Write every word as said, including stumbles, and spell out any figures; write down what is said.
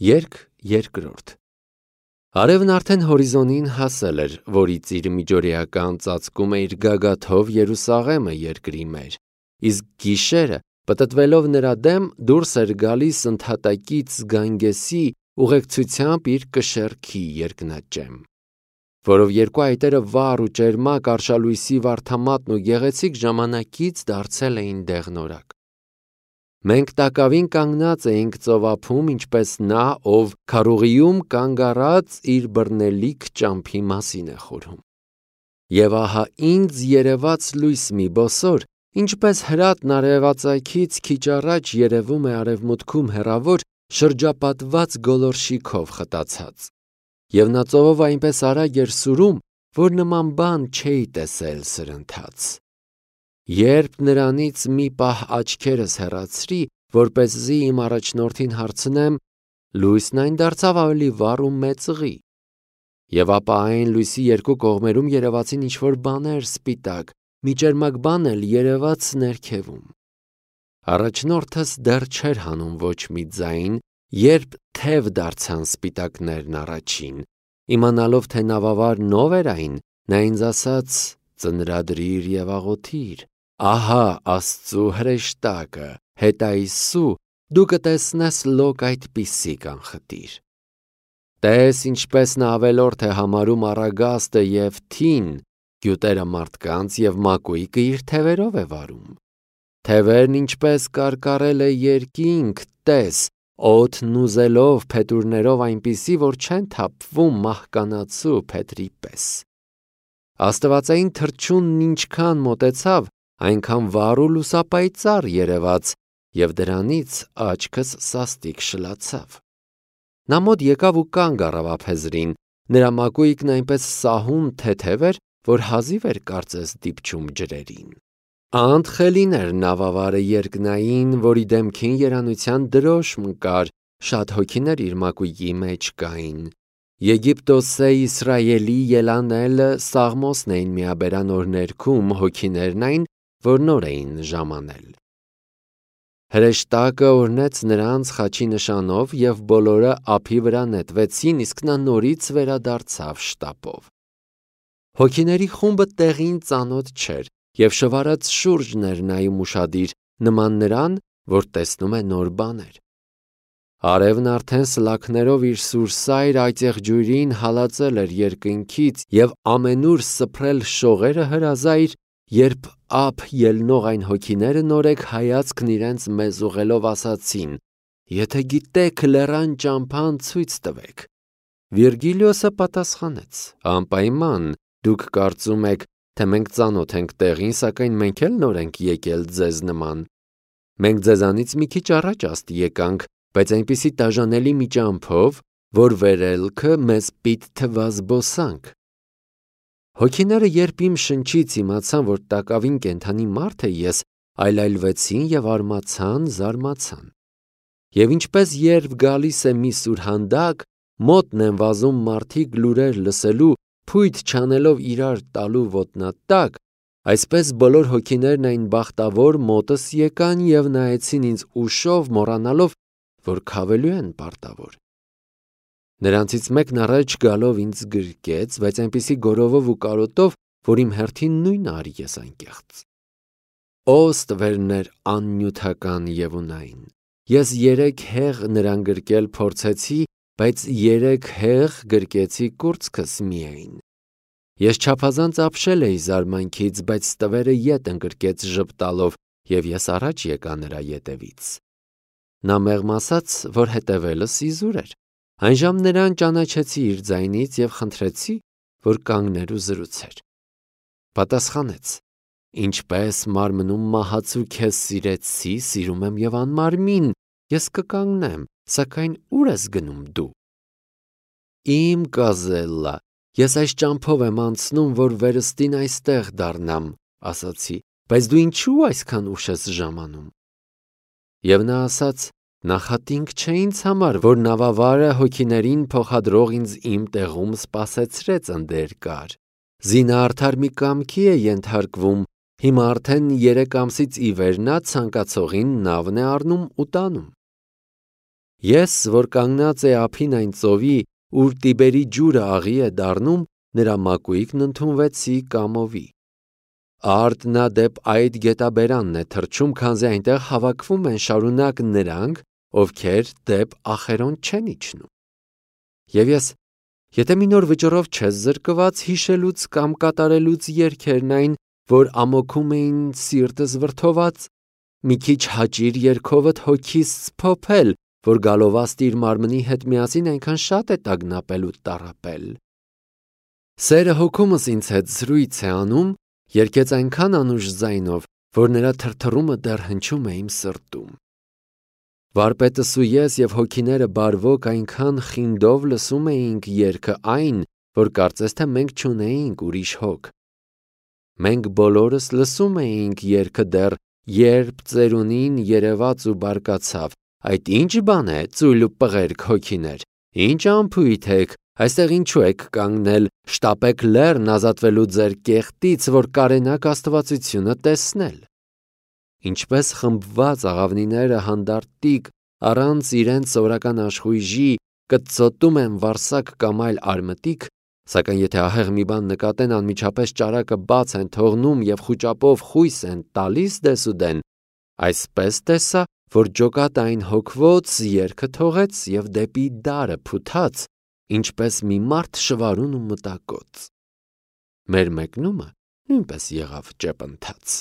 Երկ երկրորդ Արևն արդեն հորիզոնին հասել էր, որից իր միջօրեական ծածկում է իր գագաթով Երուսաղեմը երկրի մեր, իսկ գիշերը, պտտվելով նրա դեմ, դուրս էր գալիս ընդհատակից Գանգեսի ուղեկցությամբ իր կշեռքի երկնաճեմ, որով երկու այտերը վառ ու ճերմակ արշալույսի վարդամատն ու գեղեցիկ ժամանակից դարձել էին դեղնորակ։ Մենք տակավին կանգնած էինք ծովափում, ինչպես նա, ով քարուղիում կանգ առած իր բռնելիք ճամփի մասին է խորհում։ Եվ ահա ինձ երևաց լույս մի բոսոր, ինչպես հրատն արևածագից քիչ առաջ երևում է արևմուտքում հեռավոր շրջապատված գոլորշիքով խտացած, և նա ծովով այնպես արագ էր սուրում, որ նման բան չէի տեսել սրընթաց։ Երբ նրանից մի պահ աչքերս հեռացրի, որպեսզի իմ առաջնորդին հարցնեմ, լույսն այն դարձավ ավելի վառ ու մեծղի, և ապա այն լույսի երկու կողմերում երևացին ինչ-որ բաներ սպիտակ, մի ճերմակ բան էլ երևաց ներքևում։ Առաջնորդս դեռ չէր հանում ոչ մի ձայն, երբ թև դարձան սպիտակներն առաջին, իմանալով, թե նավավարն ով էր այն, նա ինձ ասաց. «Ծնրադրիր և աղոթիր, ահա Աստծու հրեշտակը, հետայսու դու կտեսնես լոկ այդպիսի կանխտիր»։ Տես ինչպես նա ավելորդ է համարում առագաստը և թին, գյուտերը մարդկանց և մակույկը իր թևերով է վարում։ Թևերն ինչպես կարկառել է երկինք, տես, օդն ուզելով փետուրներով այնպիսի, որ չեն թափվում մահկանացու փետրի պես։ Աստվածային թռչունն ինչքան մոտեցավ, այնքան վառ ու լուսապայծառ երևաց, և դրանից աչքս սաստիկ շլացավ։ Նա մոտ եկավ ու կանգ առավ ափեզրին, նրա մակույկն այնպես սահուն թեթև էր, որ հազիվ էր կարծես դիպչում ջրերին։ Անդխելին էր նավավարը երկնային, որի դեմքին երանության դրոշմ կար, շատ հոգիներ իր մակույկի մեջ կային։ Եգիպտոսե Իսրայելի ելանելը Սաղմոսն էին միաբերան օրներքում, հոգիներն այն, որ նոր էին ժամանել։ Հրեշտակը օրհնեց նրանց խաչի նշանով, և բոլորը ափի վրա նետվեցին, իսկ նա նորից վերադարձավ շտապով։ Հոգիների խումբը տեղին ծանոթ չէր, և շվարած շուրջն էր նայում ուշադիր, նման նրան, որ տեսնում է նոր բաներ։ Արևն արդեն սլաքներով իր սուրսայր այծեղջույրին հալածել էր երկնքից և ամենուր սփռել շողերը հրազայր, երբ ափ ելնող այն հոգիները նորեկ հայացքն իրենց մեզ ուղղելով ասացին. «Եթե գիտեք լեռան ճամփան, ցույց տվեք»։ Վիրգիլիոսը պատասխանեց. «Անպայման, դուք կարծում եք, թե մենք ծանոթ ենք տեղին, սակայն մենք էլ նոր ենք եկել ձեզ նման։ Մենք ձեզանից մի քիչ առաջ աստ եկանք, բայց այնպիսի տաժանելի մի ճամփով, որ վերելքը մեզ պիտ թվա զբոսանք»։ Հոգիները, երբ իմ շնչից իմացան, որ տակավին կենդանի մարդ է ես, այլայլվեցին և արմացան, զարմացան։ Եվ ինչպես երբ գալիս է մի սուրհանդակ, մոտն են վազում մարդիկ լուրեր լսելու, փույթ չանելով իրար տալու ոտնատակ, այսպես բոլոր հոգիներն այն բախտավոր մոտս եկան և նայեցին ինձ ուշով, մոռանալով, որ քավելու են պարտավոր։ Նրանցից մեկն առաջ գալով ինձ գրկեց, բայց այնպիսի գորովով ու կարոտով, որ իմ հերթին նույնը արի ես անկեղծ։ Օ ստվերներ աննյութական և ունայն, ես երեք հեղ նրան գրկել փորձեցի, բայց երեք հեղ գրկեցի կուրծքս միայն։ Ես չափազանց ապշել էի զարմանքից, բայց ստվերը ետ ընկրկեց ժպտալով, և ես առաջ եկա նրա ետևից։ Նա մեղմ ասաց, որ հետևելս իզուր էր։ Այնժամ նրան ճանաչեցի իր ձայնից և խնդրեցի, որ կանգներ ու զրուցեր։ Պատասխանեց. «Ինչպես մարմնում մահացու քեզ սիրեցի, սիրում եմ և անմարմին, ես կկանգնեմ, սակայն ո՞ւր ես գնում դու»։ Իմ կազելլա, ես այս ճամփով եմ անցնում, որ վերստին այստեղ դառնամ, ասացի, բայց դու ինչու այսքան ուշ ես ժամանում։ Եվ նա ասաց. նախատինք չէ ինձ համար, որ նավավարը հոգիներին փոխադրող ինձ իմ տեղում սպասեցրեց ընդերկար։ Զինաարդար մի կամքի է ենթարկվում, հիմա արդեն երեք ամսից ի վեր նա ցանկացողին նավն է առնում ու տանում։ Ես, որ կանգնած է ափին այն ծովի, ուր Տիբերի ջուրը աղի է դառնում, նրա մակույկն ընդունվեցի կամովի։ Արդ նա դեպ այդ գետաբերանն է թռչում, քանզի այնտեղ հավաքվում են շարունակ նրանք, ովքեր դեպ ախերոն չեն իջնում։ Եվ ես, եթե մի նոր վճռով չես զրկված հիշելուց կամ կատարելուց երգերն այն, որ ամոքում էին սիրտս վրդոված, մի քիչ հաճիր երգովդ հոգիս սփոփել, որ գալովաստիր մարմնի հետ միասին այնքան շատ է տագնապել ու տառապել։ Սերը հոգումս ինձ հետ զրույց է անում, երգեց այնքան անուշ ձայնով, որ նրա թրթռումը դեռ հնչում է իմ սրտում։ Վարպետս ու ես և հոգիները բարվոք այնքան խինդով լսում էինք երգը այն, որ կարծես թե մենք չունեինք ուրիշ հոգ։ Մենք բոլորս լսում էինք երգը դեռ, երբ ծերունին երևաց ու բարկացավ. այդ ինչ բան է, ծույլ ու պղերք հոգիներ, ինչ անփույթ եք, այստեղ ինչու եք կանգնել, շտապեք լեռն ազատվելու ձեր կեղտից, որ կարենաք աստվածությունը տեսնել։ Ինչպես խմբված աղավնիները հանդարտիկ, առանց իրենց սովորական աշխույժի, կծոտում են վարսակ կամ այլ արմտիկ, սակայն եթե ահեղ մի բան նկատեն, անմիջապես ճարակը բաց են թողնում և խուճապով խույս են տալիս դեսուդեն, այսպես տեսա, որ ջոկատը այն հոգվոց երգը թողեց և դեպի դարը փութաց, ինչպես մի մարդ շվարուն ու մտակոծ։ Մեր մեկնումը նույնպես եղավ ճեպընթաց։